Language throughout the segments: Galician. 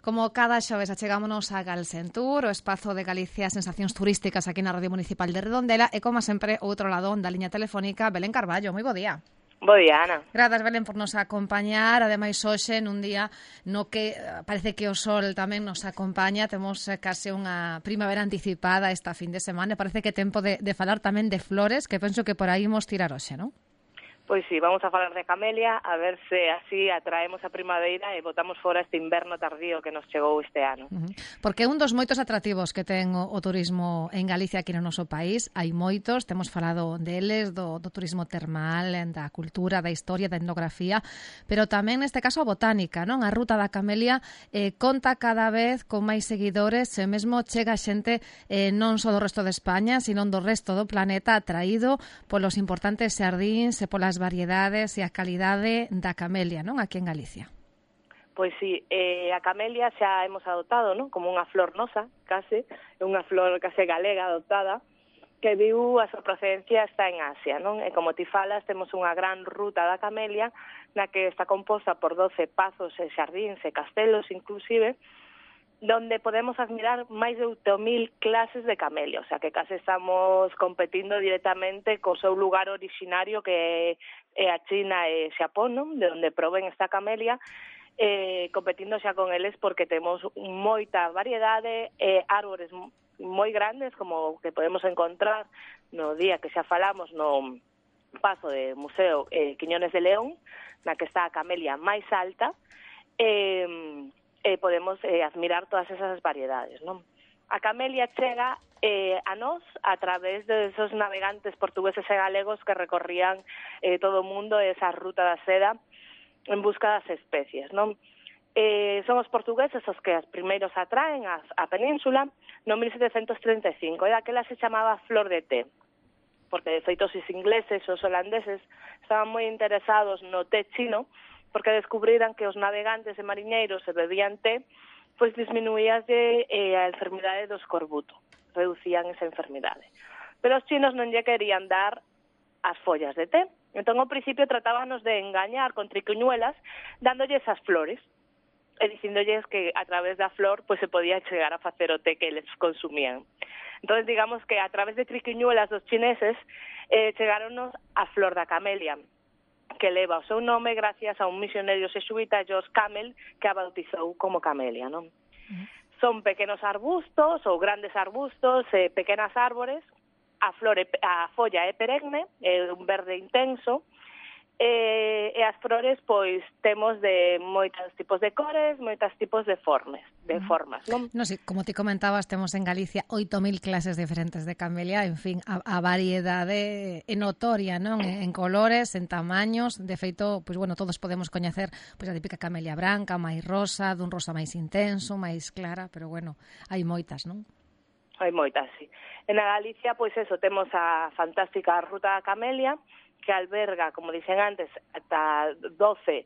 Como cada xoves achegámonos a Galsentur, o espazo de Galicia Sensacións Turísticas aquí na Radio Municipal de Redondela e, como sempre, outro lado da liña telefónica, Belén Carballo. Moi bo día. Bo día, Ana. Grazas, Belén, por nos acompañar. Ademais, hoxe, nun día no que parece que o sol tamén nos acompaña, temos case unha primavera anticipada esta fin de semana. Parece que é tempo de falar tamén de flores, que penso que por aí imos tirar hoxe, non? Pois sí, vamos a falar de camelia, a ver se así atraemos a primavera e botamos fora este inverno tardío que nos chegou este ano. Porque é un dos moitos atractivos que ten o turismo en Galicia aquí no noso país. Hai moitos, temos falado deles, do turismo termal, da cultura, da historia, da etnografía, pero tamén neste caso a botánica, non? A ruta da camelia conta cada vez con máis seguidores e mesmo chega xente non só do resto de España, sino do resto do planeta, atraído polos importantes xardíns e polas variedades e a calidade da camelia, non? Aquí en Galicia. Pois sí, a camelia xa hemos adoptado, non? Como unha flor nosa, case, unha flor case galega adoptada, que viu a súa procedencia está en Asia, non? E como ti falas, temos unha gran ruta da camelia na que está composta por 12 pazos e xardíns e castelos, inclusive, donde podemos admirar máis de 8.000 clases de camelia, o sea que case estamos competindo directamente co seu lugar originario que é a China e Xapón, non? De onde proven esta camelia, competindo xa con eles porque temos moita variedade e árbores moi grandes como que podemos encontrar no día que xa falamos no paso de Museo Quiñones de León, na que está a camelia máis alta, podemos admirar todas esas variedades, non? A camelia chega a nós a través de esos navegantes portugueses e galegos que recorrían todo o mundo esa ruta da seda en busca das especies, non? Son os portugueses os que os primeiros atraen a península no 1735, e daquela se chamaba flor de té, porque de feito os ingleses e os holandeses estaban moi interesados no té chino, porque descubriran que os navegantes e mariñeiros se bebían té, pois disminuíase a enfermidade do escorbuto, reducían esa enfermidade. Pero os chinos non lle querían dar as follas de té, entón ao principio tratábanos de engañar con triquiñuelas dándolles as flores, e dicindolles que a través da flor pois se podía chegar a facer o té que eles consumían. Entón, digamos que a través de triquiñuelas dos chineses chegáronos a flor da camelia, que leva o seu nome gracias a un misionario xesuíta, George Camel, que a bautizou como camelia, non? Son pequenos arbustos ou grandes arbustos, pequenas árbores, a folla é perenne, é un verde intenso, e as flores, pois, temos de moitos tipos de cores, moitos tipos de formas, non? No, sí, como ti comentabas, temos en Galicia 8.000 clases diferentes de camelia, en fin, a variedade é notoria, non? En colores, en tamaños, de feito, pois, bueno, todos podemos coñecer pois, a típica camelia branca, máis rosa, dun rosa máis intenso, máis clara, pero, bueno, hai moitas, non? Hai moitas, sí. En a Galicia, pois eso, temos a fantástica ruta da camelia, que alberga, como dixen antes, ata 12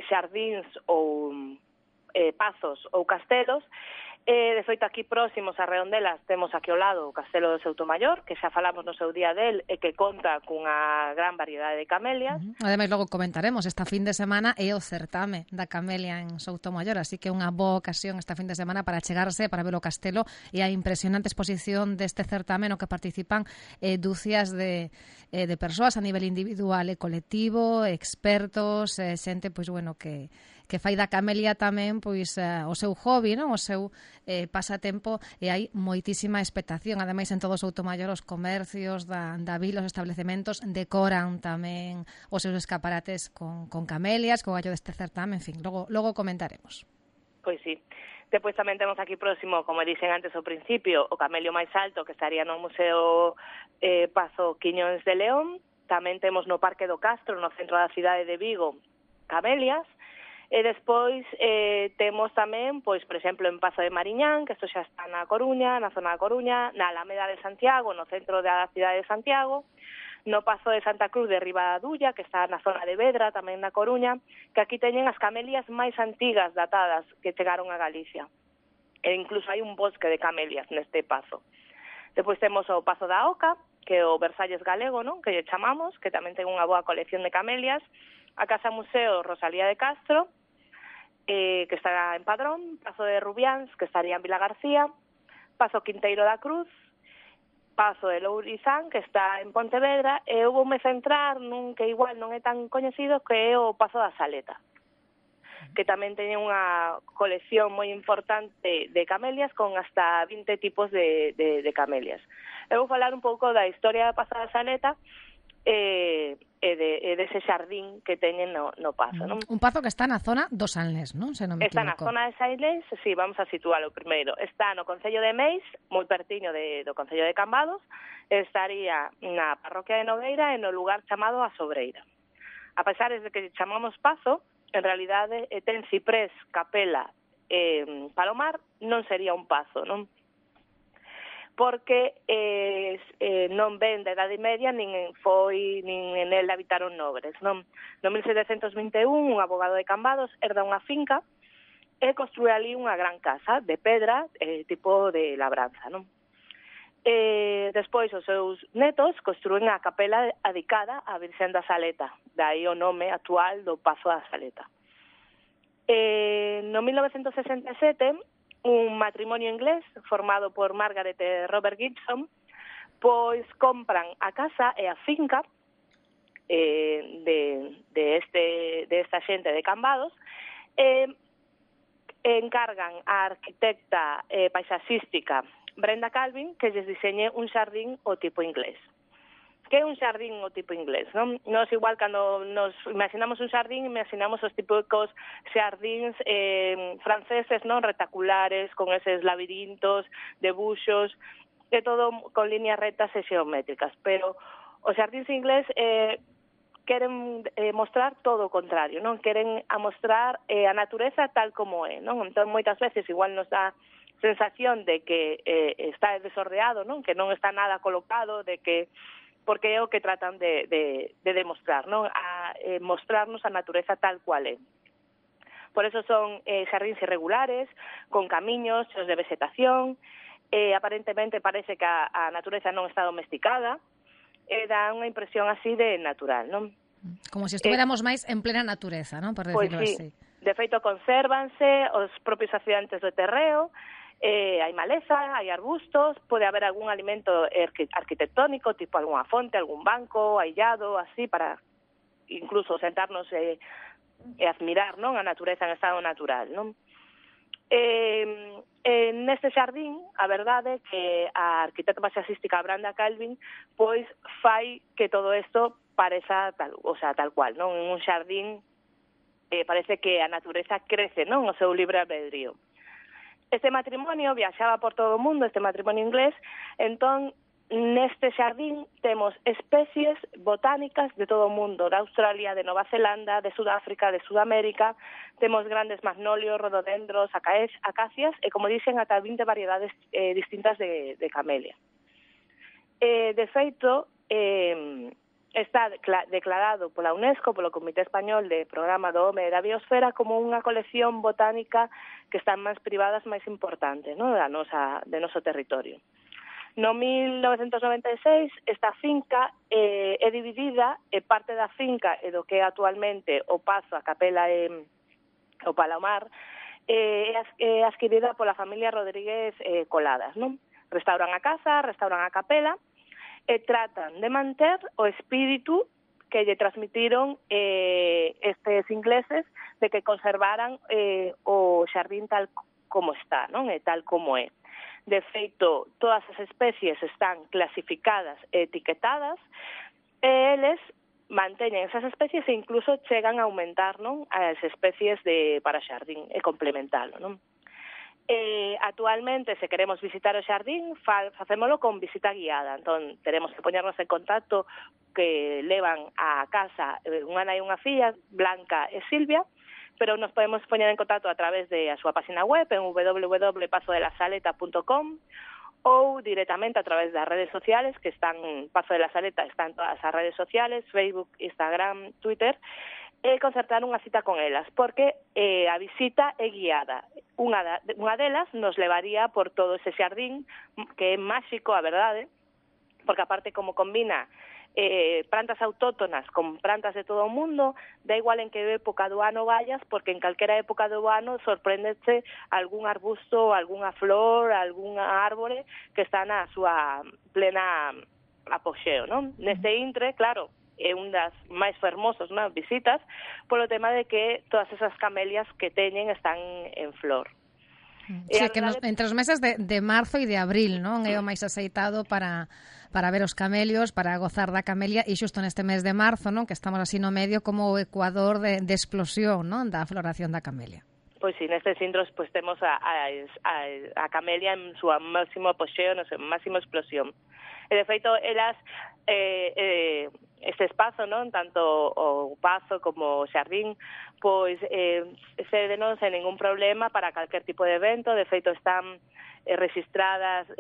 xardíns ou pazos ou castelos. De feito, aquí próximos a Redondelas temos aquí ao lado o Castelo de Soutomaior, que xa falamos no seu día del e que conta cunha gran variedade de camelias. Ademais, logo comentaremos, esta fin de semana é o certame da camelia en Soutomaior, así que é unha boa ocasión esta fin de semana para chegarse, para ver o castelo e a impresionante exposición deste certame no que participan dúcias de persoas a nivel individual e colectivo, expertos, xente, pois, bueno, que fai da camelia tamén pois o seu hobby, non? O seu pasatempo, e hai moitísima expectación. Ademais, en todo o Soutomaior os comercios da vila, os establecementos decoran tamén os seus escaparates con camelias, co gallo deste certame, en fin, logo comentaremos. Pois sí. Depois tamén temos aquí próximo, como dixen antes ao principio, o camelio máis alto, que estaría no Museo Pazo Quiñóns de León. Tamén temos no Parque do Castro, no centro da cidade de Vigo, camelias. E despois temos tamén, pois, por exemplo, en Pazo de Mariñán, que isto xa está na Coruña, na zona da Coruña, na Alameda de Santiago, no centro da cidade de Santiago, no Pazo de Santa Cruz de Ribadadulla, que está na zona de Vedra, tamén na Coruña, que aquí teñen as camelias máis antigas datadas que chegaron a Galicia. E incluso hai un bosque de camelias neste pazo. Depois temos o Pazo da Oca, que é o Versalles galego, non? Que lle chamamos, que tamén ten unha boa colección de camelias, a Casa Museo Rosalía de Castro, que estará en Padrón, Pazo de Rubiáns, que estaría en Vila García, Pazo Quinteiro da Cruz, Pazo de Lourizán, que está en Pontevedra, e eu voume centrar nun que igual non é tan coñecido, que é o Pazo da Saleta, que tamén teñe unha colección moi importante de camelias con hasta 20 tipos de camelias. Eu vou falar un pouco da historia da Pazo da Saleta e dese xardín que teñen no Pazo, non? Un pazo que está na zona do Sanlés, non? Se non me Está na equivoco. zona de Sailés, sí, vamos a situalo primeiro. Está no Concello de Meis, moi pertiño do Concello de Cambados, estaría na parroquia de Nogueira e no lugar chamado A Sobreira. A pesar de que chamamos Pazo, en realidade ten ciprés, capela e palomar, non sería un pazo, non? Porque non ven da Idade Media, nin en el habitaron nobres, non? No 1721, un abogado de Cambados herda unha finca e construe ali unha gran casa de pedra, tipo de labranza, non? Despois os seus netos construen a capela adicada á Virxen da Saleta, dai o nome actual do Pazo da Saleta. No 1967, un matrimonio inglés formado por Margaret e Robert Gibson, pois compran a casa e a finca de esta xente de Cambados e encargan a arquitecta paisaxística Brenda Calvin que lles diseñe un xardín o tipo inglés. Que é un xardín o tipo inglés, non? Nos igual cando nos imaginamos un xardín, imaginamos os típicos xardíns franceses, non? Retaculares, con eses labirintos, debuxos, de todo con líneas rectas e xeométricas, pero os xardíns inglés queren mostrar todo o contrario, non? Queren mostrar a natureza tal como é, non? Entón, moitas veces igual nos dá sensación de que está desordeado, non? Que non está nada colocado, de que porque é o que tratan de demostrar, non? Mostrarnos a natureza tal cual é. Por eso son xardíns irregulares, con camiños, cheos de vegetación, aparentemente parece que a natureza non está domesticada, dá unha impresión así de natural, non? Como se estuviéramos máis en plena natureza, non? Por decirlo sí. así. De feito, consérvanse os propios accidentes do terreo, hai maleza, hai arbustos, pode haber algún alimento arquitectónico, tipo algunha fonte, algún banco aillado, así, para incluso sentarnos e admirar, non, a natureza en estado natural, non? Neste xardín, a verdade que a arquitecta paisaxística Brenda Calvin pois fai que todo isto pareza tal cual, non? En un xardín parece que a natureza crece, non? O seu libre albedrío. Este matrimonio viaxaba por todo o mundo, este matrimonio inglés, entón neste xardín temos especies botánicas de todo o mundo, de Australia, de Nova Zelanda, de Sudáfrica, de Sudamérica, temos grandes magnolios, rododendros, acacias e, como dixen, ata 20 variedades distintas de camelia. De feito, está declarado pola UNESCO, polo Comité Español de Programa do Home e da Biosfera, como unha colección botánica que está en mans privadas máis importante, non? De noso territorio. No 1996, esta finca é dividida, e parte da finca e do que é actualmente o Pazo, a capela e o Palomar, é adquirida pola familia Rodríguez Coladas, non? Restauran a casa, restauran a capela, e tratan de manter o espírito que lle transmitiron estes ingleses de que conservaran o xardín tal como está, non? E tal como é. De feito, todas as especies están clasificadas e etiquetadas e eles manteñen esas especies e incluso chegan a aumentar, non? As especies para xardín e complementalo, non? Actualmente, se queremos visitar o xardín, facémolo con visita guiada. Entón, teremos que poñernos en contacto que levan a casa unha nai e unha filla, Blanca e Silvia, pero nos podemos poñer en contacto a través de a súa página web en www.pazodelasaleta.com ou directamente a través das redes sociales que están, Pazo de la Saleta está en todas as redes sociales, Facebook, Instagram, Twitter, e concertar unha cita con elas, porque a visita é guiada. Unha delas nos levaría por todo ese xardín, que é máxico, a verdade, porque aparte como combina plantas autóctonas con plantas de todo o mundo, da igual en que época do ano vayas, porque en calquera época do ano sorpréndese algún arbusto, algunha flor, algunha árbore que está na súa plena apoxeo, non? Neste intre, claro, é un das máis fermosos, non, visitas, polo tema de que todas esas camelias que teñen están en flor. Sí, que entre os meses de marzo e de abril, non? É o máis aceitado para ver os camelios, para gozar da camelia, e xusto neste mes de marzo, non? Que estamos así no medio como o ecuador de explosión, non? Da floración da camelia. Pois sí, nestes intros pues, temos a camelia en súa máximo apogeo, na súa máxima explosión. E de feito, elas, este espazo, non, tanto o pazo como o xardín, pois cédenos sen ningún problema para calquer tipo de evento. De feito, están registradas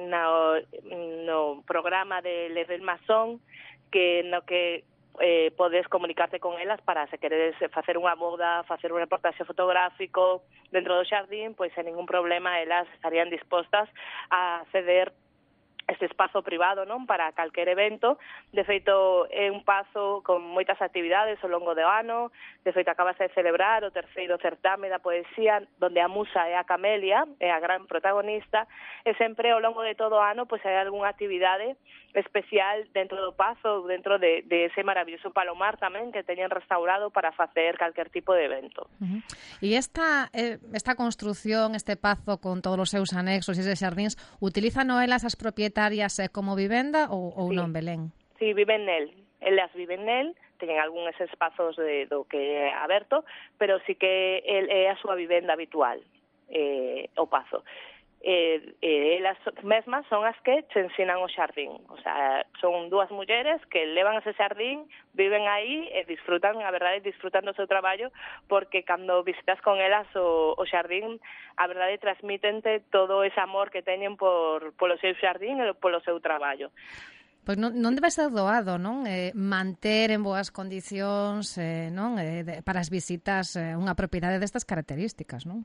no programa de Level Mason, que no que podes comunicarte con elas para se queredes facer unha boda, facer un reportaxe fotográfico dentro do xardín, pois sen ningún problema elas estarían dispostas a ceder este espazo privado, non, para calquer evento. De feito, é un pazo con moitas actividades ao longo do ano. De feito, acabase de celebrar o terceiro certame da poesía, donde a musa é a camelia, é a gran protagonista, e sempre ao longo de todo o ano pois hai algunha actividade especial dentro do pazo, dentro de ese maravilloso palomar tamén que teñen restaurado para facer calquer tipo de evento. E esta construción, este pazo con todos os seus anexos e eses xardíns, utilizan elas as propietarias como vivenda ou sí. Non, Belén? Sí, viven nel. Elas viven nel, teñen algúns espazos do que é aberto, pero sí que é a súa vivenda habitual, o pazo. Elas mesmas son as que te ensinan o xardín. O sea, son dúas mulleres que levan ese xardín, viven aí e disfrutan, a verdade, disfrutan do seu traballo, porque cando visitas con elas o xardín, a verdade, transmítente todo ese amor que teñen polo seu xardín e polo seu traballo. Pois non debe ser doado, non? Manter en boas condicións, non? Para as visitas unha propiedade destas características, non?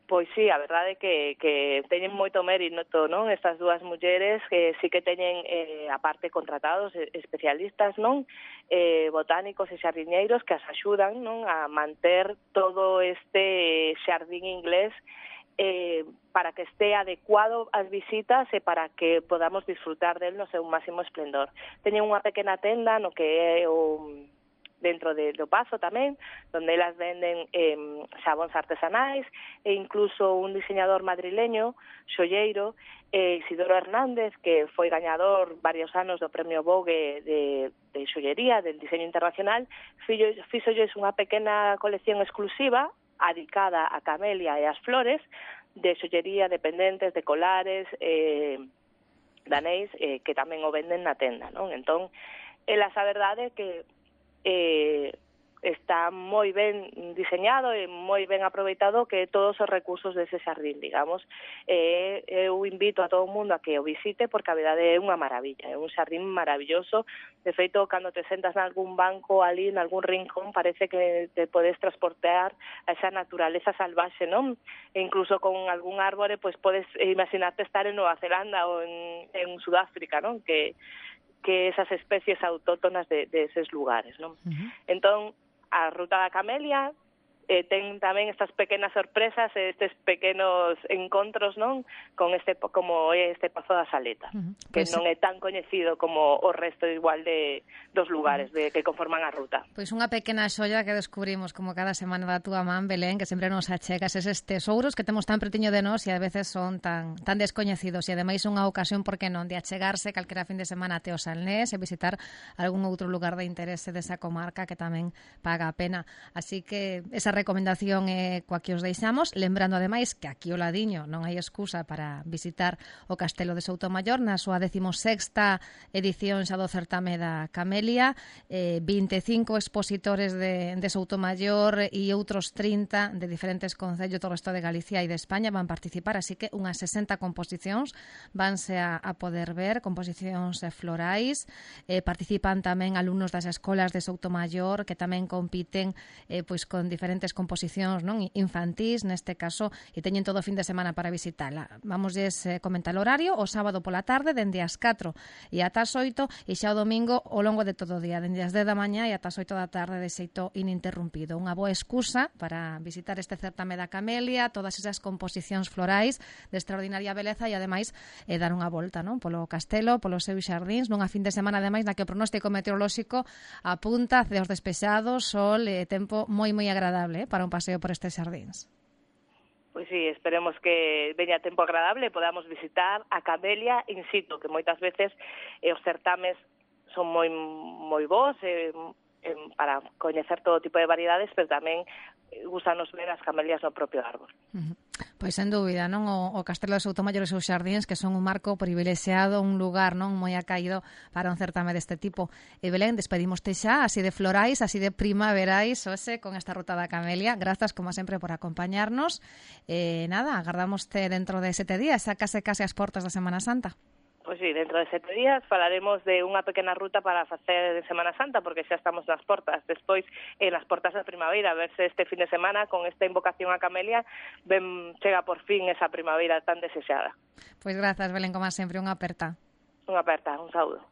Pois sí, a verdade é que teñen moito mérito, non? Estas dúas mulleres que sí que teñen, aparte, contratados especialistas, non? Botánicos e xardiñeiros que as axudan, non? A manter todo este xardín inglés para que este adecuado ás visitas e para que podamos disfrutar del no seu máximo esplendor. Teñen unha pequena tenda no que é dentro do pazo tamén, donde elas venden xabóns artesanais e incluso un diseñador madrileño, xolleiro, Isidoro Hernández, que foi gañador varios anos do Premio Vogue de xollería, del diseño internacional, fixolles unha pequena colección exclusiva adicada a camelia e as flores, de xollería, de pendentes, de colares, danéis, que tamén o venden na tenda, non? Entón, elas a verdade é que está moi ben diseñado e moi ben aproveitado que todos os recursos dese xardín, digamos. Eu invito a todo o mundo a que o visite porque a verdade é unha maravilla, é un xardín maravilloso. De feito, cando te sentas nalgún banco ali, nalgún rincón, parece que te podes transportar a esa naturaleza salvaxe, non? E incluso con algún árbore, pues podes imaginarte estar en Nueva Zelanda ou en Sudáfrica, non? Que esas especies autóctonas de eses lugares, non? Entón, a ruta da camelia ten tamén estas pequenas sorpresas, estes pequenos encontros, non? Con como é este Pazo da Saleta, que non é tan coñecido como o resto igual dos lugares que conforman a ruta. Pois unha pequena xoia que descubrimos como cada semana da túa man, Belén, que sempre nos achegas eses tesouros que temos tan pretiño de nós e a veces son tan descoñecidos, e ademais unha ocasión, por que non, de achegarse calquera fin de semana até o Salnés e visitar algún outro lugar de interese desa comarca que tamén paga a pena. Así que esa recomendación é coa que os deixamos, lembrando ademais que aquí o ladiño non hai excusa para visitar o Castelo de Soutomaior na súa 16ª edición xa do certame da Camelia, 25 expositores de Soutomaior e outros 30 de diferentes concellos do resto de Galicia e de España van participar, así que unhas 60 composicións vanse a poder ver, composicións florais. Participan tamén alumnos das escolas de Soutomaior que tamén compiten pois con diferentes diferentes composicións, non, infantís, neste caso, e teñen todo o fin de semana para visitala. Vamosles comentar o horario, o sábado pola tarde, dende as 4 e ata as 8, e xa o domingo ao longo de todo o día, dende as 10 da mañá e ata as 8 da tarde, de xeito ininterrumpido. Unha boa excusa para visitar este certame da Camelia, todas esas composicións florais de extraordinaria beleza e, ademais, dar unha volta, non, polo castelo, polos seus xardíns, nunha fin de semana, ademais, na que o pronóstico meteorolóxico apunta ceos despejados, sol e tempo moi agradable para un paseo por estes xardíns. Pois sí, esperemos que veña tempo agradable e podamos visitar a Camelia in situ, que moitas veces os certames son moi bons para coñecer todo tipo de variedades, pero tamén gustanos ver as camelias no propio árbol. Pois sen dúbida, non, o Castelo de Soutomaior e os seus xardíns, que son un marco privilexiado, un lugar non moi acaído para un certame deste tipo. E Belén, despedimoste xa, así de florais, así de primaverais, hoxe, con esta ruta da Camelia. Grazas, como sempre, por acompañarnos. Nada, agardamoste dentro de 7 días, xa case as portas da Semana Santa. Pois sí, dentro de 7 días falaremos de unha pequena ruta para facer de Semana Santa, porque xa estamos nas portas. Despois, nas portas da primavera, a ver se este fin de semana, con esta invocación a Camelia, chega por fin esa primavera tan desexada. Pois grazas, Belén, como sempre, unha aperta. Unha aperta, un saúdo.